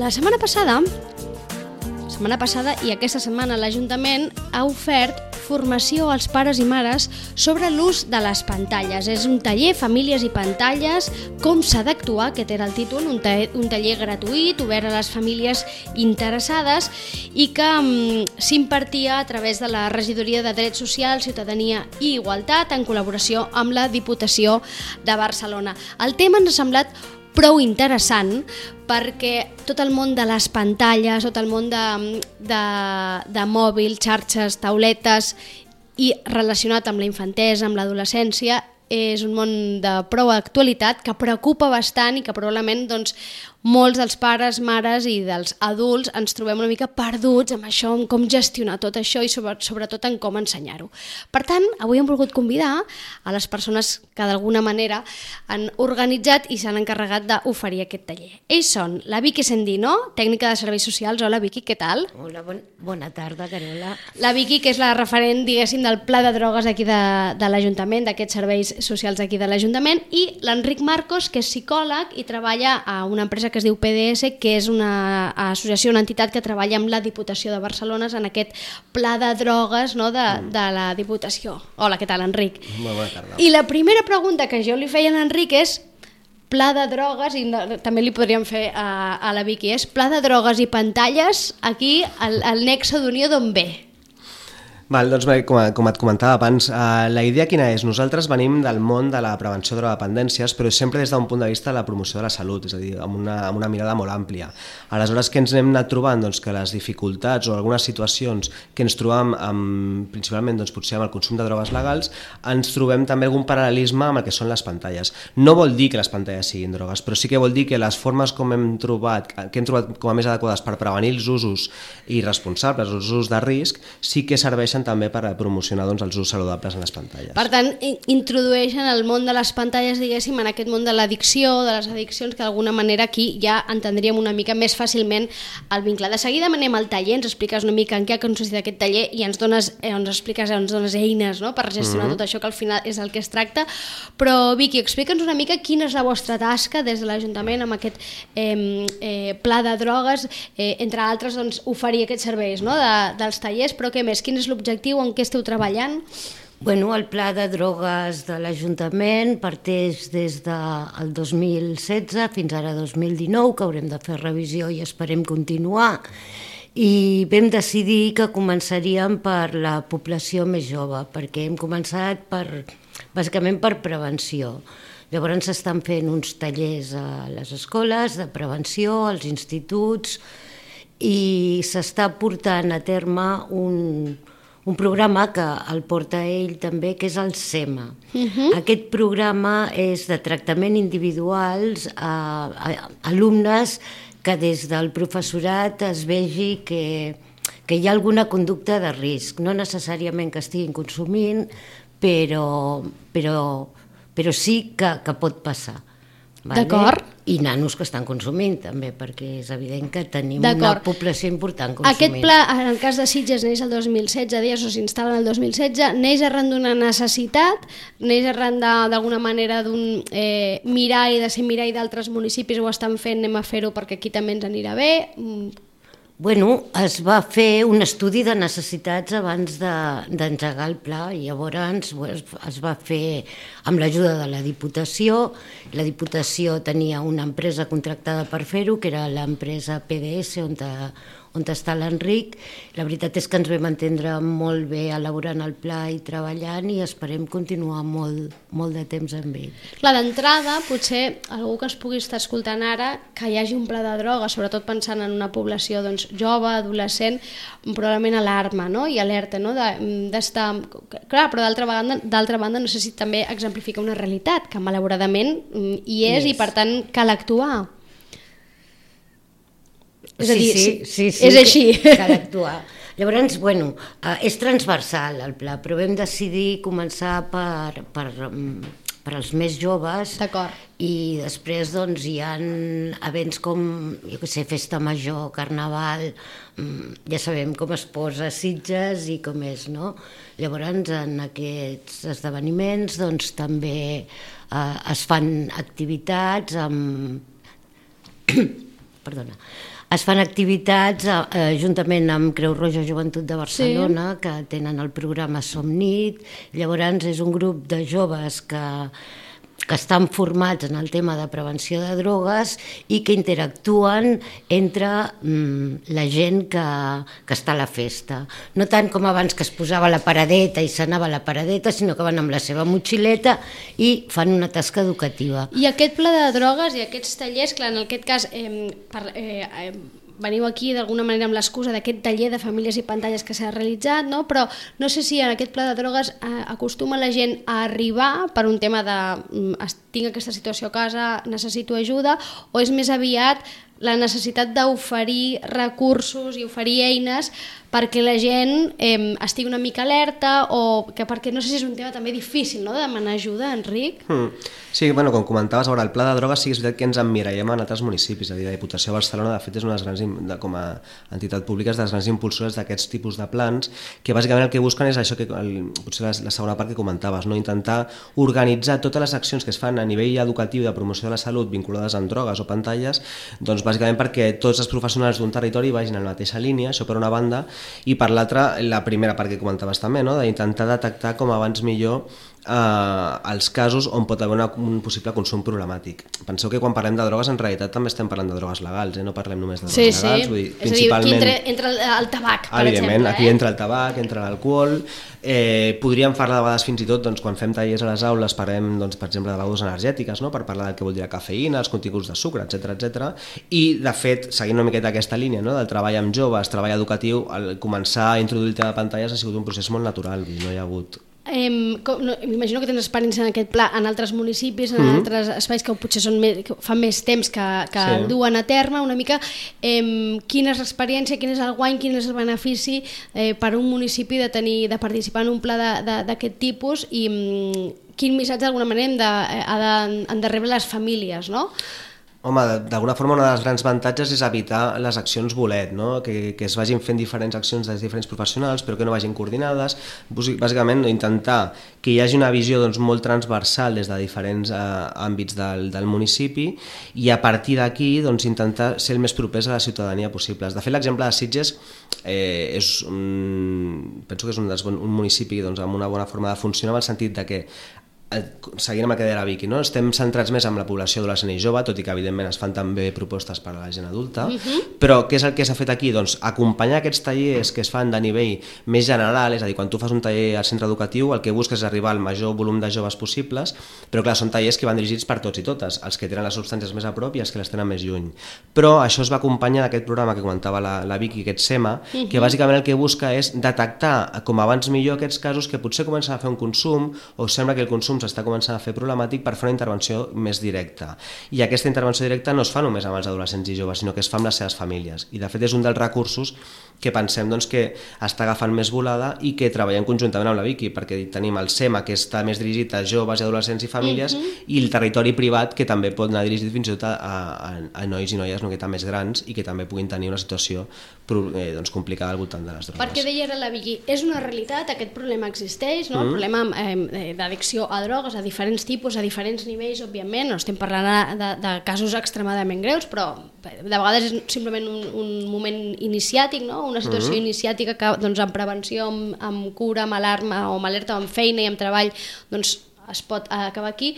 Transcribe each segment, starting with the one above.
La setmana passada i aquesta setmana l'Ajuntament ha ofert formació als pares i mares sobre l'ús de les pantalles. És un taller Famílies i pantalles, com s'ha d'actuar, aquest era el títol, un taller gratuït, obert a les famílies interessades i que s'impartia a través de la Regidoria de Drets Socials, Ciutadania i Igualtat en col·laboració amb la Diputació de Barcelona. El tema ens ha semblat prou interessant perquè tot el món de les pantalles, tot el món de mòbil, xarxes, tauletes i relacionat amb la infantesa, amb l'adolescència, és un món de prou actualitat que preocupa bastant i que probablement molts dels pares, mares i dels adults ens trobem una mica perduts amb això, en com gestionar tot això i sobretot en com ensenyar-ho. Per tant, avui hem volgut convidar a les persones que d'alguna manera han organitzat i s'han encarregat d'oferir aquest taller. Ells són la Vicky Sendino, tècnica de serveis socials. Hola Vicky, què tal? Hola, bona tarda, Carola. La Vicky, que és la referent, diguéssim, del pla de drogues aquí de l'Ajuntament, d'aquests serveis socials aquí de l'Ajuntament, i l'Enric Marcos, que és psicòleg i treballa a una empresa que es diu PDS, que és una associació, una entitat que treballa amb la Diputació de Barcelona en aquest pla de drogues de la Diputació. Hola, què tal, Enric? Molt bona tarda. I la primera pregunta que jo li feia a l'Enric és pla de drogues, i també li podríem fer a la Vicky, és pla de drogues i pantalles, aquí el nexe d'unió d'on ve? Val, doncs bé, com et comentava abans, la idea quina és? Nosaltres venim del món de la prevenció de drogodependències, però sempre des d'un punt de vista de la promoció de la salut, és a dir, amb una mirada molt àmplia. Aleshores, què ens hem anat trobant? Doncs que les dificultats o algunes situacions que ens trobam principalment potser amb el consum de drogues legals, ens trobem també algun paral·lelisme amb el que són les pantalles. No vol dir que les pantalles siguin drogues, però sí que vol dir que les formes que hem trobat com a més adequades per prevenir els usos irresponsables, els usos de risc, sí que serveixen també per promocionar els usos saludables en les pantalles. Per tant, introdueixen el món de les pantalles, diguéssim, en aquest món de l'addicció, de les addiccions, que d'alguna manera aquí ja entendríem una mica més fàcilment el vincle. De seguida anem al taller, ens expliques una mica en què ha consistit aquest taller i ens dones eines, no?, per gestionar tot això, que al final és el que es tracta. Però, Vicky, explica'ns una mica quina és la vostra tasca des de l'Ajuntament amb aquest pla de drogues, entre altres, oferir aquests serveis, no?, dels tallers, però què més? Quin és l'objectiu, en què esteu treballant? Bueno, el pla de drogues de l'Ajuntament parteix des del 2016 fins ara 2019, que haurem de fer revisió i esperem continuar, i vam decidir que començaríem per la població més jove, perquè hem començat bàsicament per prevenció. Llavors s'estan fent uns tallers a les escoles de prevenció, als instituts, i s'està portant a terme un programa que el porta ell també, que és el SEMA. Aquest programa és de tractament individuals a alumnes que des del professorat es vegi que hi ha alguna conducta de risc, no necessàriament que estiguin consumint, però sí que pot passar. D'acord. I nanos que estan consumint també, perquè és evident que tenim una població important consumint. Aquest pla, en el cas de Sitges, neix el 2016, deies, o s'instal·la el 2016, neix arran d'una necessitat, neix arran d'alguna manera d'un mirall, de ser mirall d'altres municipis, ho estan fent, anem a fer-ho perquè aquí també ens anirà bé. Bueno, es va fer un estudi de necessitats abans d'engegar el pla i llavors es va fer amb l'ajuda de la Diputació. La Diputació tenia una empresa contractada per fer-ho, que era l'empresa PDS, on està l'Enric. La veritat és que ens vam entendre molt bé elaborant el pla i treballant i esperem continuar molt de temps amb ell. Clar, d'entrada, potser algú que es pugui estar escoltant ara, que hi hagi un pla de droga, sobretot pensant en una població jove, adolescent, probablement alarma, no?, i alerta, no?, d'estar... Clar, però d'altra banda no sé si també exemplifica una realitat que malauradament hi és i per tant cal actuar. És a dir, sí, és així. Cal actuar. Llavors, bueno, és transversal el pla, però vam decidir començar per als més joves. D'acord. I després hi ha events com, jo què sé, Festa Major, Carnaval, ja sabem com es posa Sitges i com és, no? Llavors, en aquests esdeveniments també es fan activitats amb Es fan activitats juntament amb Creu Roja Joventut de Barcelona, que tenen el programa Som Nit. Llavors és un grup de joves que estan formats en el tema de prevenció de drogues i que interactuen entre la gent que està a la festa. No tant com abans, que es posava la paradeta i s'anava a la paradeta, sinó que van amb la seva motxileta i fan una tasca educativa. I aquest pla de drogues i aquests tallers, clar, en aquest cas veniu aquí d'alguna manera amb l'excusa d'aquest taller de famílies i pantalles que s'ha realitzat, no? Però no sé si en aquest pla de drogues acostuma la gent a arribar per un tema de tinc aquesta situació a casa, necessito ajuda, o és més aviat la necessitat d'oferir recursos i oferir eines perquè la gent estigui una mica alerta, o que perquè no sé si és un tema també difícil, no?, de demanar ajuda, Enric. Sí, bueno, com comentaves, el pla de drogues sí que és veritat que ens emmirallem en altres municipis, és a dir, la Diputació de Barcelona de fet és una de les grans, com a entitat pública, de les grans impulsores d'aquests tipus de plans, que bàsicament el que busquen és això que potser la segona part que comentaves, no? Intentar organitzar totes les accions que es fan a nivell educatiu de promoció de la salut vinculades amb drogues o pantalles, doncs bàsicament perquè tots els professionals d'un territori vagin en la mateixa línia, això per una banda, i per l'altra, la primera part que comentaves també, no? D'intentar detectar com abans millor els casos on pot haver un possible consum problemàtic. Penseu que quan parlem de drogues en realitat també estem parlant de drogues legals, no parlem només de drogues legals. Vull dir, és a dir, aquí entra el tabac, per exemple. Aquí entra el tabac, entra l'alcohol. Podríem parlar de vegades fins i tot, quan fem tallers a les aules, parlem, per exemple, de begudes energètiques, per parlar del que vol dir la cafeïna, els continguts de sucre, etc. I, de fet, seguint una miqueta aquesta línia del treball amb joves, treball educatiu, començar a introduir el tema de pantalles ha sigut un procés molt natural, no hi ha hagut... M'imagino que tens experiència en aquest pla en altres municipis, en altres espais que potser que fa més temps que el duen a terme una mica. Quina és l'experiència, quin és el guany, quin és el benefici per a un municipi de participar en un pla d'aquest tipus, i quin missatge d'alguna manera han de rebre les famílies, no? Home, d'alguna forma una dels grans avantatges és evitar les accions bolet, no? Que es vagin fent diferents accions dels diferents professionals però que no vagin coordinades, bàsicament intentar que hi hagi una visió molt transversal des de diferents àmbits del municipi, i a partir d'aquí intentar ser el més propers a la ciutadania possible. De fet, l'exemple de Sitges penso que és un municipi amb una bona forma de funcionar, en el sentit de que, seguint amb el que deia la Vicky, estem centrats més en la població adolescent i jove, tot i que evidentment es fan també propostes per a la gent adulta, però què és el que s'ha fet aquí? Doncs acompanyar aquests tallers que es fan de nivell més general, és a dir, quan tu fas un taller al centre educatiu el que busques és arribar al major volum de joves possibles, però clar, són tallers que van dirigits per tots i totes, els que tenen les substàncies més a prop i els que les tenen més lluny. Però això es va acompanyar d'aquest programa que comentava la Vicky, aquest SEMA, que bàsicament el que busca és detectar com abans millor aquests casos que potser comencen a fer un consum o sembla que el consum s'està començant a fer problemàtic, per fer una intervenció més directa. I aquesta intervenció directa no es fa només amb els adolescents i joves, sinó que es fa amb les seves famílies. I de fet és un dels recursos que pensem que està agafant més volada i que treballem conjuntament amb la Vicky, perquè tenim el SEMA, que està més dirigit a joves, adolescents i famílies, i el territori privat, que també pot anar dirigit fins i tot a nois i noies més grans i que també puguin tenir una situació complicada al voltant de les drogues. Perquè deia la Vicky, és una realitat, aquest problema existeix, no? El problema d'addicció a drogues a diferents tipus, a diferents nivells, òbviament, no estem parlant de casos extremadament greus, però de vegades és simplement un moment iniciàtic, no? Una situació iniciàtica que amb prevenció, amb cura, amb alarma o amb alerta, amb feina i amb treball, es pot acabar aquí.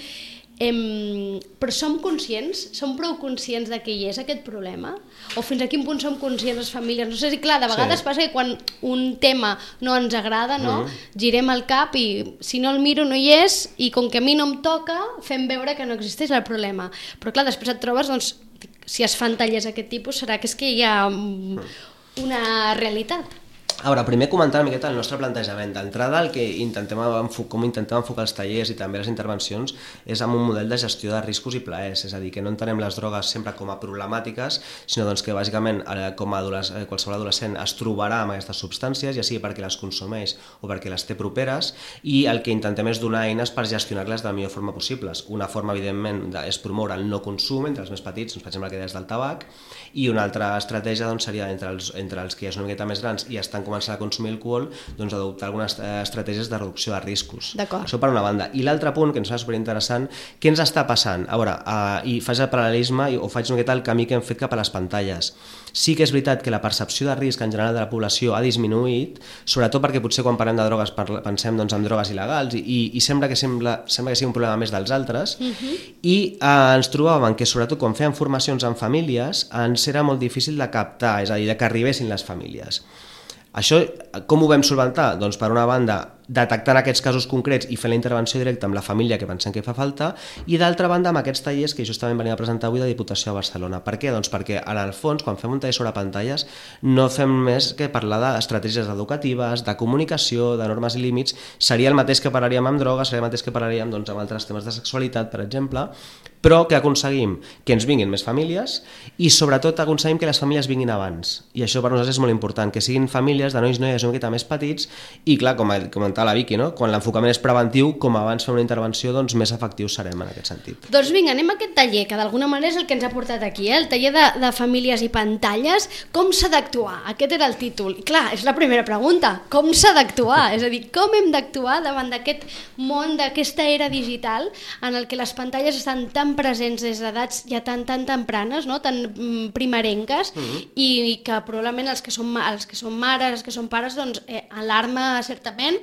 Però som prou conscients de que hi és aquest problema? O fins a quin punt som conscients les famílies? No sé si, clar, de vegades passa que quan un tema no ens agrada, girem el cap i si no el miro no hi és, i com que a mi no em toca, fem veure que no existeix el problema. Però clar, després et trobes, si es fan tallers d'aquest tipus, serà que és que hi ha una realitat. Ara, primer comentar una miqueta el nostre plantejament. D'entrada, el que intentem enfocar els tallers i també les intervencions és amb un model de gestió de riscos i plaers, és a dir, que no entenem les drogues sempre com a problemàtiques, sinó que bàsicament com a qualsevol adolescent es trobarà amb aquestes substàncies, ja sigui perquè les consumeix o perquè les té properes, i el que intentem és donar eines per gestionar-les de la millor forma possible. Una forma, evidentment, és promoure el no consum entre els més petits, per exemple, que deies del tabac, i una altra estratègia seria entre els que ja són una miqueta més grans i estan començar a consumir alcohol, doncs adoptar algunes estratègies de reducció de riscos. D'acord. Això per una banda. I l'altre punt, que ens sembla superinteressant, què ens està passant? A veure, i faig el paral·lelisme o faig una miqueta el camí que hem fet cap a les pantalles. Sí que és veritat que la percepció de risc en general de la població ha disminuït, sobretot perquè potser quan parlem de drogues pensem doncs, en drogues il·legals i sembla que sigui un problema més dels altres, i ens trobàvem que sobretot quan fèiem formacions en famílies ens era molt difícil de captar, és a dir, de que arribessin les famílies. Això com ho vam solventar? Doncs per una banda detectant aquests casos concrets i fent la intervenció directa amb la família que pensem que fa falta, i d'altra banda amb aquests tallers que justament venim a presentar avui de Diputació de Barcelona. Per què? Doncs perquè en el fons quan fem un taller sobre pantalles no fem més que parlar d'estratègies educatives, de comunicació, de normes i límits. Seria el mateix que parlaríem amb drogues, seria el mateix que parlaríem doncs, amb altres temes de sexualitat, per exemple, però que aconseguim que ens vinguin més famílies i sobretot aconseguim que les famílies vinguin abans. I això per nosaltres és molt important, que siguin famílies de nois i noies una miqueta més petits i clar, com comentava la Vicky, no? Quan l'enfocament és preventiu, com abans fer una intervenció, doncs més efectius serem en aquest sentit. Doncs vinga, anem a aquest taller, que d'alguna manera és el que ens ha portat aquí, el taller de famílies i pantalles. Com s'ha d'actuar? Aquest era el títol. I clar, és la primera pregunta. Com s'ha d'actuar? És a dir, com hem d'actuar davant d'aquest món, d'aquesta era digital en el que les pantalles estan tan presents des d'edats ja tan tempranes, no? Tan primerenques, i que probablement els que són mares, els que són pares, doncs alarma certament,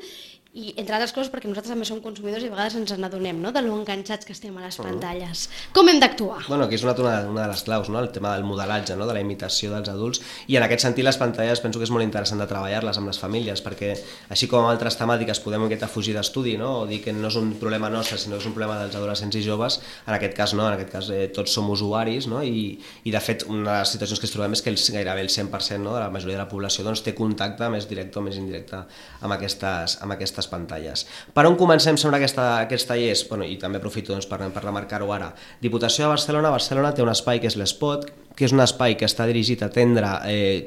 i entre altres coses perquè nosaltres també som consumidors i a vegades ens n'adonem, no?, de lo enganxats que estem a les pantalles. Com hem d'actuar? Bueno, aquí és una de les claus, no?, el tema del modelatge, no?, de la imitació dels adults, i en aquest sentit les pantalles penso que és molt interessant de treballar-les amb les famílies, perquè així com amb altres temàtiques podem una miqueta fugir d'estudi, no?, o dir que no és un problema nostre sinó que és un problema dels adolescents i joves, en aquest cas no, en aquest cas tots som usuaris, no?, i de fet una de les situacions que ens trobem és que gairebé el 100%, no?, de la majoria de la població doncs, té contacte més directe o més indirecte amb aquestes pantalles. Per on comencem sobre aquests tallers? Bueno, i també aprofito doncs, per remarcar-ho ara. Diputació de Barcelona té un espai que és l'Espot, que és un espai que està dirigit a atendre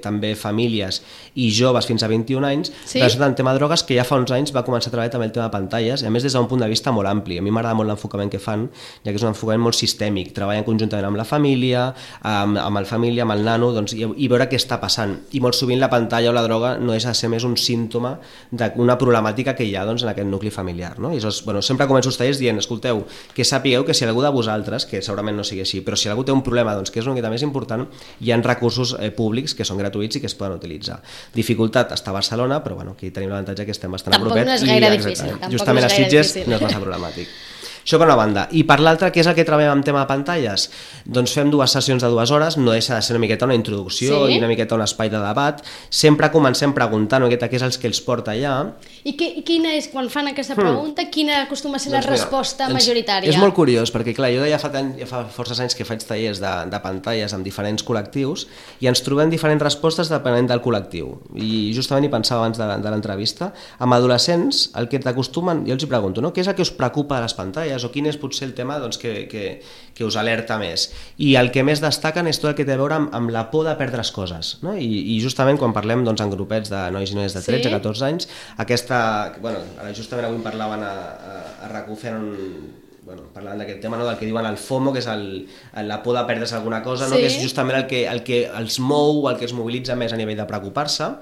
també famílies i joves fins a 21 anys, relacionat amb el tema de drogues, que ja fa uns anys va començar a treballar també el tema de pantalles, i a més des d'un punt de vista molt ampli. A mi m'agrada molt l'enfocament que fan, ja que és un enfocament molt sistèmic, treballen conjuntament amb la família, amb el nano, doncs, i veure què està passant. I molt sovint la pantalla o la droga no deixa de ser més un símptoma d'una problemàtica que hi ha doncs, en aquest nucli familiar. No? I llavors, bueno, sempre començo els tallers dient, escolteu, que sapigueu que si algú de vosaltres, que segurament no sigui així, però si algú té un problema doncs, que és una mica més important, hi ha recursos públics que són gratuïts i que es poden utilitzar. Dificultat està a Barcelona, però bueno, aquí tenim l'avantatge que estem bastant apropets. Tampoc no és gaire difícil. Justament a Sitges no és massa problemàtic. Això per una banda. I per l'altra, què és el que treballem amb tema de pantalles? Doncs fem 2 sessions de 2 hores, no deixa de ser una miqueta una introducció i una miqueta un espai de debat. Sempre comencem preguntant una miqueta què és el que els porta allà. I quina és, quan fan aquesta pregunta, quina acostuma a ser la resposta majoritària? És molt curiós, perquè clar, jo ja fa forces anys que faig tallers de pantalles amb diferents col·lectius i ens trobem diferents respostes depenent del col·lectiu. I justament hi pensava abans de l'entrevista. Amb adolescents, el que t'acostumen, jo els hi pregunto, no? Què és el que us preocupa de les pantalles o quin és potser el tema doncs, que us alerta més? I el que més destaquen és tot el que té a veure amb la por de perdre coses, no? I justament quan parlem doncs, en grupets de nois i noies de 13-14 anys, ara justament avui em parlaven a RAC1 parlant d'aquest tema, no? Del que diuen el FOMO, que és la por de perdre's alguna cosa, no? Que és justament el que els mou, el que els mobilitza més a nivell de preocupar-se.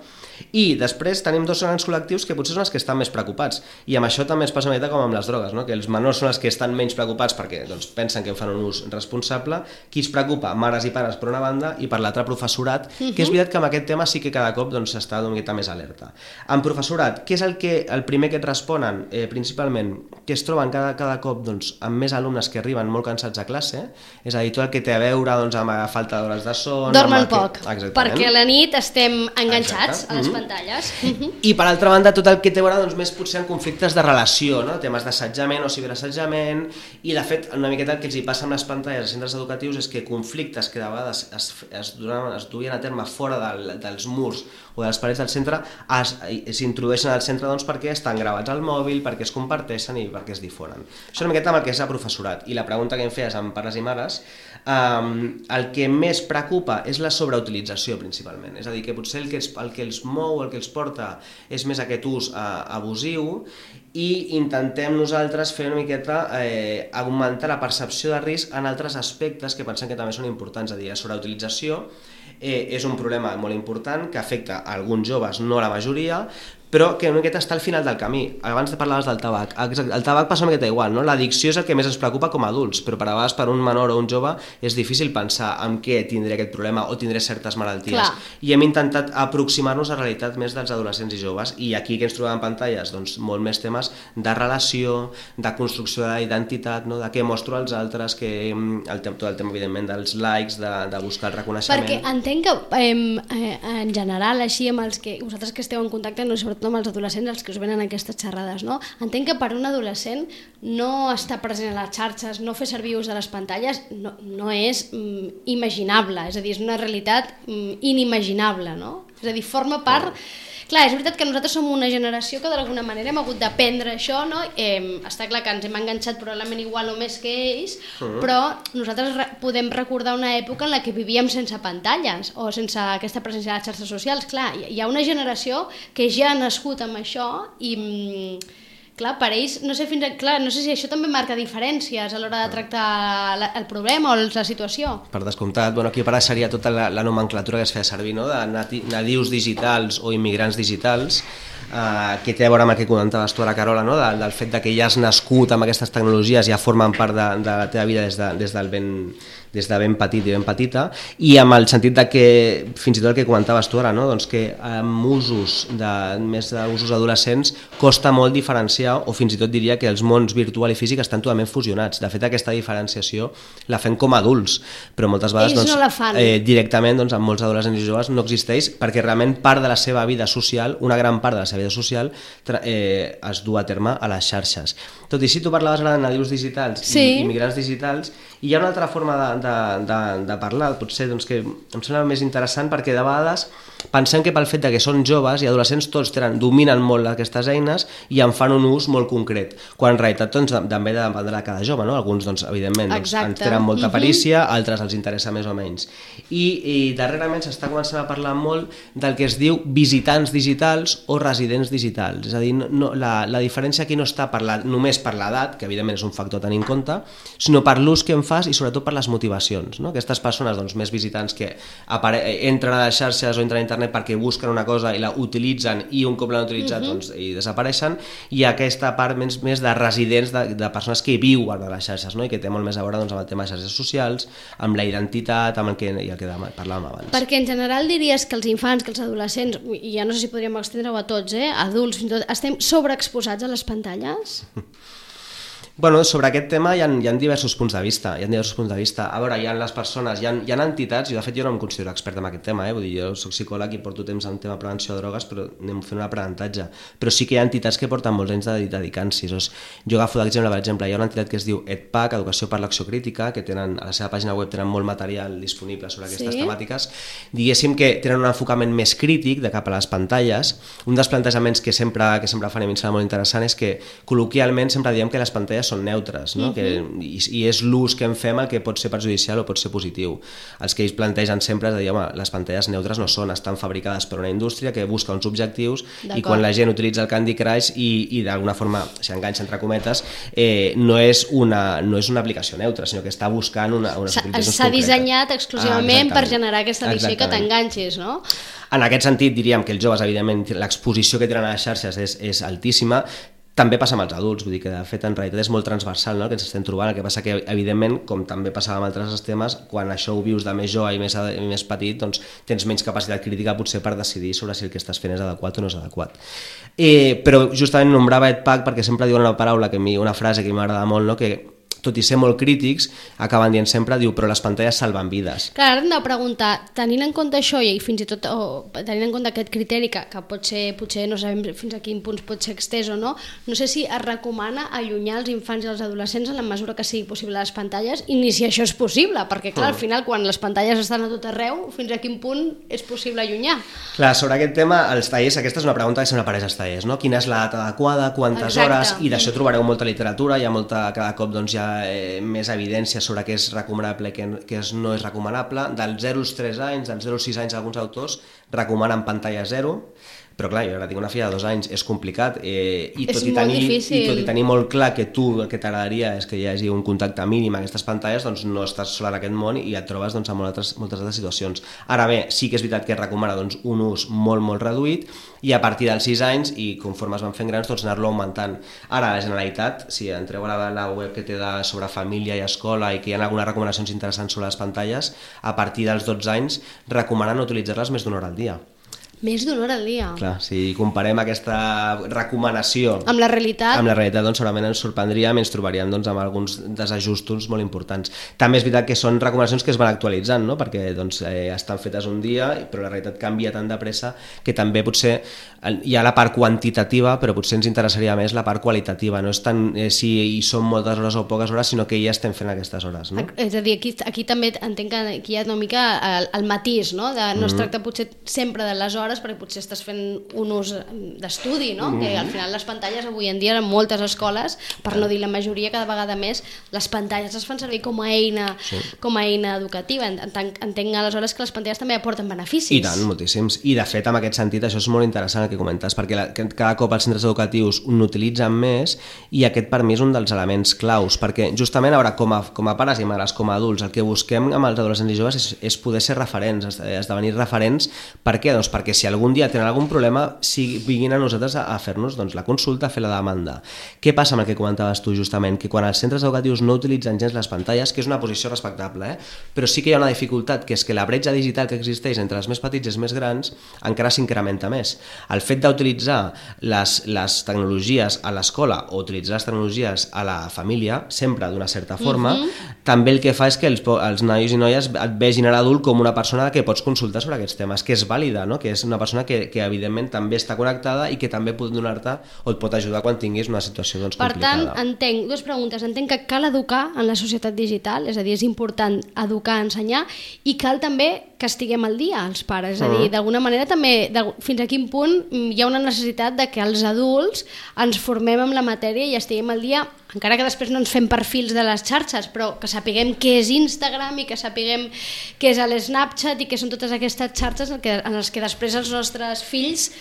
I després tenim 2 grans col·lectius que potser són els que estan més preocupats, i amb això també es passa una mica com amb les drogues, no? Que els menors són els que estan menys preocupats perquè doncs, pensen que fan un ús responsable. Qui es preocupa? Mares i pares per una banda, i per l'altra professorat, que és veritat que amb aquest tema sí que cada cop doncs, s'està una miqueta més alerta. En professorat, què és el primer que et responen? Principalment, que es troben cada cop doncs, amb més alumnes que arriben molt cansats a classe, és a dir, tot el que té a veure doncs, amb la falta d'hores de son... Dormen poc, perquè a la nit estem enganxats a les pantalles. I per altra banda tot el que té a veure doncs, més potser en conflictes de relació, no? Temes d'assetjament o ciberassetjament, i de fet una miqueta el que els hi passa amb les pantalles als centres educatius és que conflictes que de vegades es duien a terme fora dels murs o de les parets del centre s'introdueixen al centre doncs, perquè estan gravats al mòbil, perquè es comparteixen i perquè es difonen. Això és una miqueta amb el que és el professorat. I la pregunta que em feies amb pares i mares, el que més preocupa és la sobreutilització principalment, és a dir, que potser el que els mou, el que els porta és més aquest ús abusiu, i intentem nosaltres fer una miqueta augmentar la percepció de risc en altres aspectes que pensem que també són importants. És a dir, la sobreutilització és un problema molt important que afecta a alguns joves, no a la majoria, però que una miqueta està al final del camí. Abans parlaves del tabac. El tabac passa una miqueta igual, no? L'addicció és el que més ens preocupa com a adults, però per a vegades per un menor o un jove és difícil pensar en què tindré aquest problema o tindré certes malalties. Clar. I hem intentat aproximar-nos a la realitat més dels adolescents i joves, i aquí que ens trobem en pantalles? Doncs molt més temes de relació, de construcció de la identitat, no? De què mostro als altres, tot el tema evidentment dels likes, de buscar el reconeixement. Perquè entenc que en general, així amb els que vosaltres que esteu en contacte, no, sobretot amb els adolescents, els que us venen aquestes xerrades, no? Entenc que per un adolescent no estar present a les xarxes, no fer servir ús de les pantalles, no és imaginable, és a dir, és una realitat inimaginable, no? És a dir, forma part... Clar, és veritat que nosaltres som una generació que d'alguna manera hem hagut d'aprendre això, no? Està clar que ens hem enganxat probablement igual o més que ells, però nosaltres podem recordar una època en la que vivíem sense pantalles o sense aquesta presència a les xarxes socials. Clar, hi ha una generació que ja ha nascut amb això i... Clar, per ells, no sé si això també marca diferències a l'hora de tractar el problema o la situació. Per descomptat, aquí apareixeria tota la nomenclatura que es feia servir, no? De nadius digitals o immigrants digitals, que té a veure amb el que comentaves tu a la Carola, no? Del fet de que ja has nascut amb aquestes tecnologies, ja formen part de la teva vida des de ben petit i ben petita, i amb el sentit de que, fins i tot el que comentaves tu ara, no? Doncs que amb més d'usos adolescents costa molt diferenciar, o fins i tot diria que els mons virtual i físic estan totalment fusionats. De fet, aquesta diferenciació la fem com a adults, però moltes vegades ells no la fan. Directament amb molts adolescents i joves no existeix, perquè realment part de la seva vida social, una gran part de la seva vida social es du a terme a les xarxes. Tot i si tu parlaves ara de nadius digitals i immigrants digitals, hi ha una altra forma de parlar, potser que em sembla més interessant, perquè de vegades pensem que pel fet que són joves i adolescents tots dominen molt aquestes eines i en fan un ús molt concret, quan en realitat també dependrà de cada jove, no? Alguns evidentment ens tenen molta perícia, altres els interessa més o menys, i darrerament s'està començant a parlar molt del que es diu visitants digitals o residents digitals. És a dir, la diferència aquí no està només per l'edat, que evidentment és un factor a tenir en compte, sinó per l'ús que en fas i sobretot per les motivacions, no? Aquestes persones més visitants que entren a les xarxes o entren a internet perquè busquen una cosa i la utilitzen, i un cop l'han utilitzat i desapareixen, i aquesta part més de residents, de persones que viuen a les xarxes, no? I que té molt més a veure amb el tema de xarxes socials, amb la identitat, amb el que parlàvem abans. Perquè en general diries que els infants, que els adolescents, i ja no sé si podríem extendre-ho a tots, adults fins i tot, estem sobreexposats a les pantalles? Sobre aquest tema hi ha diversos punts de vista. A veure, hi ha les persones, hi ha entitats, i de fet jo no em considero expert en aquest tema, vull dir, jo soc psicòleg i porto temps en tema de prevenció de drogues, però anem fent un aprenentatge. Però sí que hi ha entitats que porten molts anys dedicant-s'hi. Jo agafo d'exemple, per exemple, hi ha una entitat que es diu EdPAC, Educació per l'Acció Crítica, que a la seva pàgina web tenen molt material disponible sobre aquestes temàtiques. Diguéssim que tenen un enfocament més crític de cap a les pantalles. Un dels plantejaments que sempre fan, i a mi em sembla molt interessant, és que col·loquialment sempre diem que les pantalles són neutres, no? I és l'ús que en fem el que pot ser perjudicial o pot ser positiu. Els que ells plantegen sempre és de dir, les pantalles neutres no són, estan fabricades per una indústria que busca uns objectius, i quan la gent utilitza el Candy Crush i d'alguna forma s'enganxa entre cometes, no és una aplicació neutra, sinó que està buscant unes utilitzacions concretes. S'ha dissenyat exclusivament per generar aquesta addicció i que t'enganxis, no? En aquest sentit diríem que els joves, evidentment, l'exposició que tenen a les xarxes és altíssima. També passa amb els adults, vull dir que de fet en realitat és molt transversal, no? El que ens estem trobant. El que passa que evidentment, com també passava amb altres temes, quan això ho vius de més jove i més petit, doncs tens menys capacitat crítica potser per decidir sobre si el que estàs fent és adequat o no és adequat. Però justament nombrava EdPAC perquè sempre diuen una frase que m'agrada molt, no? Que tot i ser molt crítics, acaben dient sempre, però les pantalles salven vides. Clar, ara hem de preguntar, tenint en compte això i fins i tot tenint en compte aquest criteri que potser no sabem fins a quin punt pot ser extès o no, no sé si es recomana allunyar els infants i els adolescents en la mesura que sigui possible les pantalles, i ni si això és possible, perquè clar, al final quan les pantalles estan a tot arreu, fins a quin punt és possible allunyar? Clar, sobre aquest tema, els tallers, aquesta és una pregunta que sempre apareix als tallers, no? Quina és l'edat adequada, quantes hores, i d'això trobareu molta literatura, hi ha cada cop hi ha més evidència sobre què és recomanable i què no és recomanable. Dels 0 als 3 anys, dels 0 als 6 anys, alguns autors recomanen pantalla 0, Però clar, jo ara tinc una filla de 2 anys, és complicat, i tot i tenir molt clar que tu el que t'agradaria és que hi hagi un contacte mínim a aquestes pantalles, doncs no estàs sola en aquest món i et trobes doncs, amb moltes altres situacions. Ara bé, sí que és veritat que es recomana doncs, un ús molt reduït, i a partir dels 6 anys, i conforme es van fent grans, doncs anar-lo augmentant. Ara, la Generalitat, si entreu a la web que té sobre família i escola i que hi ha algunes recomanacions interessants sobre les pantalles, a partir dels 12 anys recomanen utilitzar-les més d'una hora al dia. Més d'una hora al dia. Clar, si comparem aquesta recomanació amb la realitat, doncs segurament ens sorprendríem i ens trobaríem doncs, amb alguns desajustos molt importants. També és veritat que són recomanacions que es van actualitzant, no? Perquè doncs, estan fetes un dia, però la realitat canvia tan de pressa que també potser hi ha la part quantitativa, però potser ens interessaria més la part qualitativa. No és tant si hi són moltes hores o poques hores, sinó que ja estem fent aquestes hores. No? És a dir, aquí també entenc que aquí hi ha una mica el matís, no? No es tracta potser sempre de les hores, perquè potser estàs fent un ús d'estudi, no? Que al final les pantalles avui en dia en moltes escoles, per no dir la majoria, cada vegada més, les pantalles es fan servir com a eina educativa. Entenc aleshores que les pantalles també aporten beneficis. I tant, moltíssims. I de fet, en aquest sentit, això és molt interessant el que comentes, perquè cada cop els centres educatius n'utilitzen més i aquest per mi és un dels elements claus, perquè justament ara com a pares i mares, com a adults, el que busquem amb els adolescents i joves és poder ser referents, esdevenir referents. Per què? Doncs perquè si algun dia tenen algun problema, vinguin a nosaltres a fer-nos doncs, la consulta, a fer la demanda. Què passa amb el que comentaves tu justament? Que quan els centres educatius no utilitzen gens les pantalles, que és una posició respectable, però sí que hi ha una dificultat, que és que la bretxa digital que existeix entre els més petits i els més grans encara s'incrementa més. El fet d'utilitzar les tecnologies a l'escola o utilitzar les tecnologies a la família, sempre d'una certa forma, també el que fa és que els nois i noies et vegin a l'adult com una persona que pots consultar sobre aquests temes, que és vàlida, no? Que és una persona que evidentment també està connectada i que també pot donar-te o et pot ajudar quan tinguis una situació doncs, complicada. Per tant, entenc, dues preguntes. Entenc que cal educar en la societat digital, és a dir, és important educar, ensenyar, i cal també que estiguem al dia els pares, és a dir, d'alguna manera també, fins a quin punt hi ha una necessitat de que els adults ens formem amb la matèria i estiguem al dia, encara que després no ens fem perfils de les xarxes, però que sapiguem què és Instagram i que sapiguem què és l'Snapchat i què són totes aquestes xarxes en les que després els nostres fills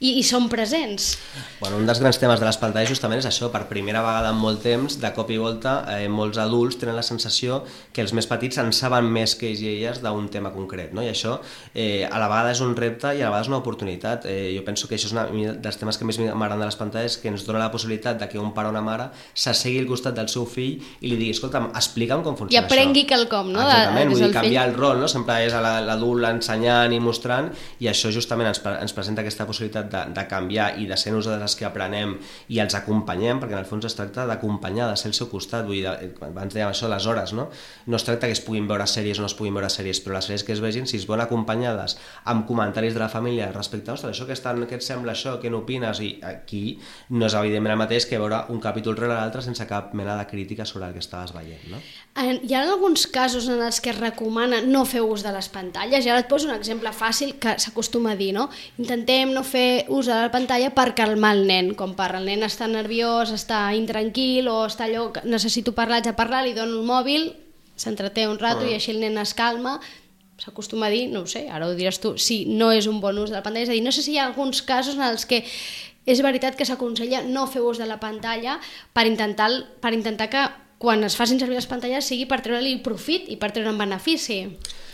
i són presents. Bueno, un dels grans temes de les pantalles justament és això, per primera vegada en molt temps, de cop i volta, molts adults tenen la sensació que els més petits en saben més que ells i elles d'un tema concret, no? I això a la vegada és un repte i a la vegada és una oportunitat. Jo penso que això és un dels temes que més m'agraden de les pantalles, que ens dona la possibilitat de que un pare o una mare s'assegui al costat del seu fill i li digui, escolta'm, explica'm com funciona això. I aprengui quelcom, no? Exactament, vull dir, canviar el rol, no? Sempre és l'adult ensenyant i mostrant, i això justament ens presenta aquesta possibilitat de canviar i de ser nosaltres els que aprenem i els acompanyem, perquè en el fons es tracta d'acompanyar, de ser al seu costat. Vull dir, abans dèiem això, les hores, no? No es tracta que es puguin veure sèries o no es puguin veure sèries, però les sèries que es vegin, si es veuen acompanyades amb comentaris de la família respecte a, ostres, això què et sembla això, què n'opines? I aquí no és evidentment el mateix que veure un capítol rere l'altre sense cap mena de crítica sobre el que estaves veient, no? Hi ha alguns casos en els que es recomana no fer ús de les pantalles, i ara et poso un exemple fàcil que s'acostuma a dir, no? Intentem no fer ús de la pantalla per calmar el nen, com el nen està nerviós, està intranquil o està allò, necessito parlar, haig de parlar, li dono el mòbil, s'entreté un rato i així el nen es calma. S'acostuma a dir, no ho sé, ara ho diràs tu, si no és un bon ús de la pantalla, és a dir, no sé si hi ha alguns casos en els que és veritat que s'aconsella no fer ús de la pantalla per intentar que quan es facin servir les pantalles sigui per treure-li profit i per treure un benefici.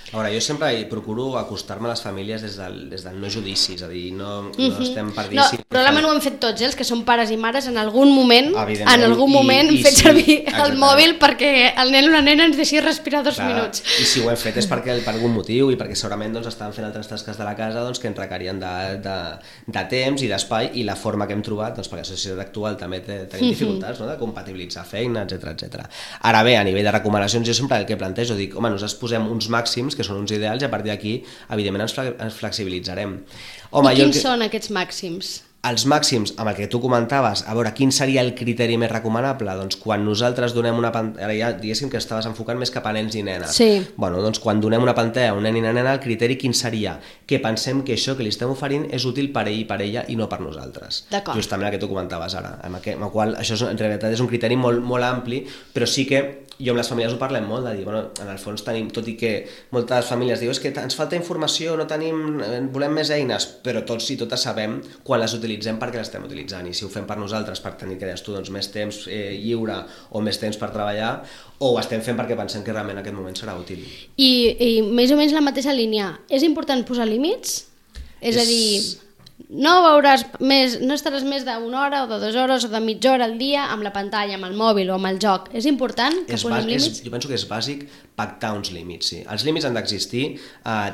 A veure, jo sempre procuro acostar-me a les famílies des del no judici, és a dir, no estem per dir... No, probablement ho hem fet tots, els que som pares i mares, en algun moment hem fet servir el mòbil perquè el nen o la nena ens deixi respirar 2 minuts. I si ho hem fet és per algun motiu i perquè segurament estan fent altres tasques de la casa que ens requerien de temps i d'espai, i la forma que hem trobat, perquè la societat actual també tenim dificultats de compatibilitzar feina, etc. Ara bé, a nivell de recomanacions, jo sempre el que plantejo, dic, home, nosaltres posem uns màxims que són uns ideals i a partir d'aquí, evidentment, ens flexibilitzarem. I quins són aquests màxims? els màxims, amb el que tu comentaves, a veure, quin seria el criteri més recomanable? Doncs quan nosaltres donem una pantalla, ara ja diguéssim que estaves enfocant més cap a nens i nenes. Sí. Bueno, doncs quan donem una pantalla a un nen i una nena, el criteri quin seria? Que pensem que això que li estem oferint és útil per ell i per ella i no per nosaltres. D'acord. Justament el que tu comentaves ara, amb el qual això en realitat és un criteri molt, molt ampli, però sí que jo amb les famílies ho parlem molt, de dir, bueno, en el fons tenim, tot i que moltes famílies diuen que ens falta informació, no tenim, volem més eines, però tots i totes sabem quan les utilitzem perquè les estem utilitzant, i si ho fem per nosaltres per tenir, que deies tu, doncs, més temps lliure o més temps per treballar, o ho estem fent perquè pensem que realment en aquest moment serà útil. I més o menys la mateixa línia, és important posar límits? És a dir, no estaràs més d'una hora o de 2 hores o de mitja hora al dia amb la pantalla, amb el mòbil o amb el joc. És important que posem límits? Jo penso que és bàsic pactar uns límits, sí. Els límits han d'existir,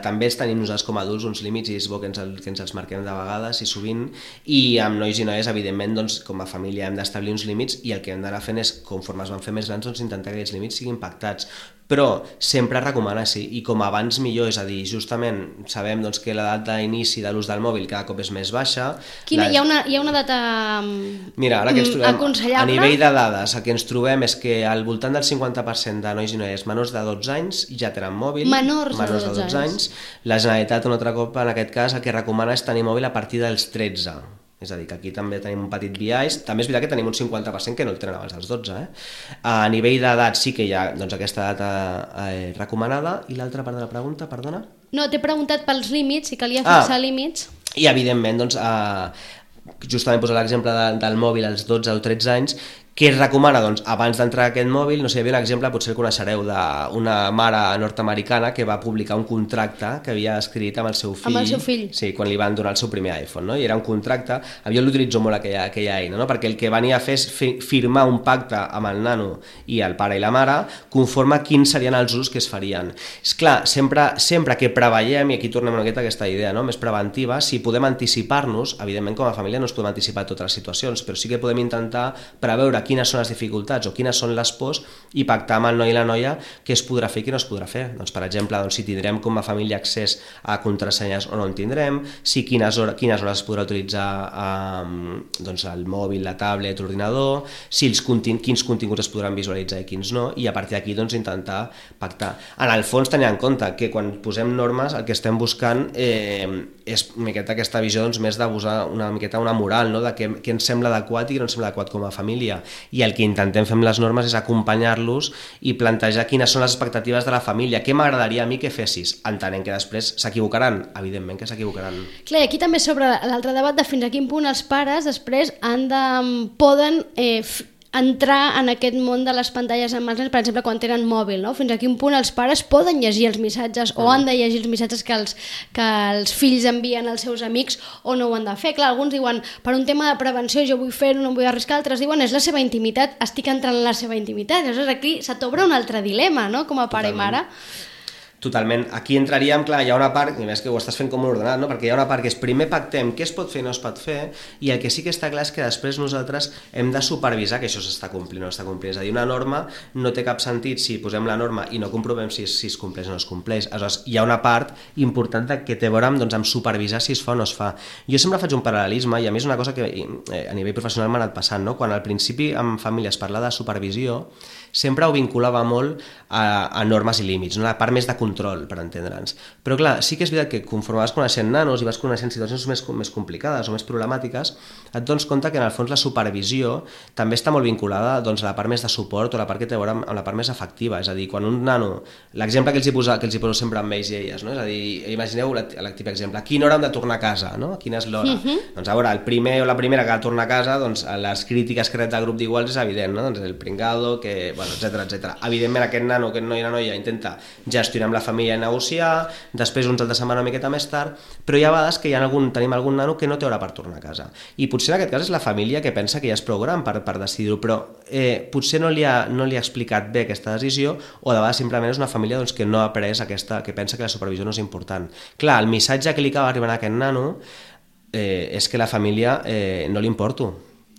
també els tenim nosaltres com a adults uns límits i és bo que ens els marquem de vegades i sovint, i amb nois i noies, evidentment, doncs, com a família hem d'establir uns límits i el que hem d'anar fent és, conforme es van fer més grans, doncs, intentar que aquests límits siguin pactats. Però sempre recomana, sí, i com abans millor, és a dir, justament sabem doncs, que l'edat d'inici de l'ús del mòbil cada cop és més baixa. Hi ha una data Mira, ara que ens trobem, aconsellable? a nivell de dades, el que ens trobem és que al voltant del 50% de nois i noies menors de 12 anys ja tenen mòbil. Menors de 12 anys. La Generalitat, un altre cop, en aquest cas, el que recomana és tenir mòbil a partir dels 13. És a dir, que aquí també tenim un petit biaix. També és veritat que tenim un 50% que no el tenen abans dels 12. A nivell d'edat sí que hi ha doncs, aquesta data recomanada. I l'altra part de la pregunta, perdona? No, t'he preguntat pels límits, si calia fixar límits. I evidentment, doncs, justament posar l'exemple del mòbil als 12 o 13 anys, què es recomana? Doncs abans d'entrar a aquest mòbil, no sé, hi havia un exemple, potser el coneixereu, d'una mare nord-americana que va publicar un contracte que havia escrit amb el seu fill. Amb el seu fill. Sí, quan li van donar el seu primer iPhone, no? I era un contracte, jo l'utilitzo molt aquella eina, no? Perquè el que venia a fer és firmar un pacte amb el nano i el pare i la mare conforme quins serien els usos que es farien. És clar, sempre que preveiem, i aquí tornem una miqueta a aquesta idea, no? Més preventiva, si podem anticipar-nos, evidentment com a família no ens podem anticipar totes les situacions, però sí que podem intentar preveure quines són les dificultats o quines són les pors i pactar amb el noi i la noia què es podrà fer i què no es podrà fer. Doncs, per exemple, si tindrem com a família accés a contrasenyes o no en tindrem, si quines hores es podrà utilitzar doncs, el mòbil, la tablet, l'ordinador, si quins continguts es podran visualitzar i quins no, i a partir d'aquí doncs, intentar pactar. En el fons, tenint en compte que quan posem normes el que estem buscant és una miqueta aquesta visió doncs, més d'abusar una miqueta una moral, no? De què ens sembla adequat i què no ens sembla adequat com a família. I el que intentem fer amb les normes és acompanyar-los i plantejar quines són les expectatives de la família, què m'agradaria a mi que fessis, entenent que després s'equivocaran, evidentment que s'equivocaran. Clar, aquí també sobre l'altre debat de fins a quin punt els pares després poden entrar en aquest món de les pantalles amb els nens, per exemple, quan tenen mòbil, no? Fins a quin punt els pares poden llegir els missatges o han de llegir els missatges que els fills envien als seus amics o no ho han de fer. Clar, alguns diuen, per un tema de prevenció jo vull fer-ho, no em vull arriscar, altres diuen, és la seva intimitat, estic entrant en la seva intimitat. Llavors aquí se t'obre un altre dilema, no?, com a pare i mare. Totalment. Aquí entraríem, clar, hi ha una part, i més que ho estàs fent com ordenat, no? Perquè hi ha una part que és primer pactem què es pot fer i no es pot fer, i el que sí que està clar és que després nosaltres hem de supervisar que això s'està complint o no s'està complint. És a dir, una norma no té cap sentit si posem la norma i no comprovem si es compleix o no es compleix. Aleshores, hi ha una part important que té a veure amb supervisar si es fa o no es fa. Jo sempre faig un paral·lelisme, i a mi és una cosa que a nivell professional m'ha anat passant, no? Quan al principi en famílies parlava de supervisió, sempre ho vinculava molt a normes i límits, no? La part més de control, per entendre'ns. Però clar, sí que és veritat que conforme vas coneixent nanos i vas coneixent situacions més complicades o més problemàtiques, et dones compte que en el fons la supervisió també està molt vinculada doncs, a la part més de suport o a la part que té a veure amb la part més afectiva. És a dir, quan un nano, l'exemple que els poso sempre amb ells i elles, no? És a dir, imagineu l'actiu exemple, a quina hora hem de tornar a casa, no? Quina és l'hora? Doncs a veure, el primer o la primera que ha de tornar a casa, doncs les crítiques que rep del grup d'iguals és evident, no? Doncs el pringado, que, bueno, etcètera. Evidentment aquest nano, aquest noi i la noia intenta gestionar amb la família i negociar, després uns altres se'n van una miqueta més tard, però hi ha vegades que tenim algun nano que no té hora per tornar a casa. I potser en aquest cas és la família que pensa que ja és prou gran per decidir-ho, però potser no li ha explicat bé aquesta decisió, o de vegades simplement és una família doncs, que no ha après que pensa que la supervisió no és important. Clar, el missatge que li acaba arribant a aquest nano és que la família no li importo.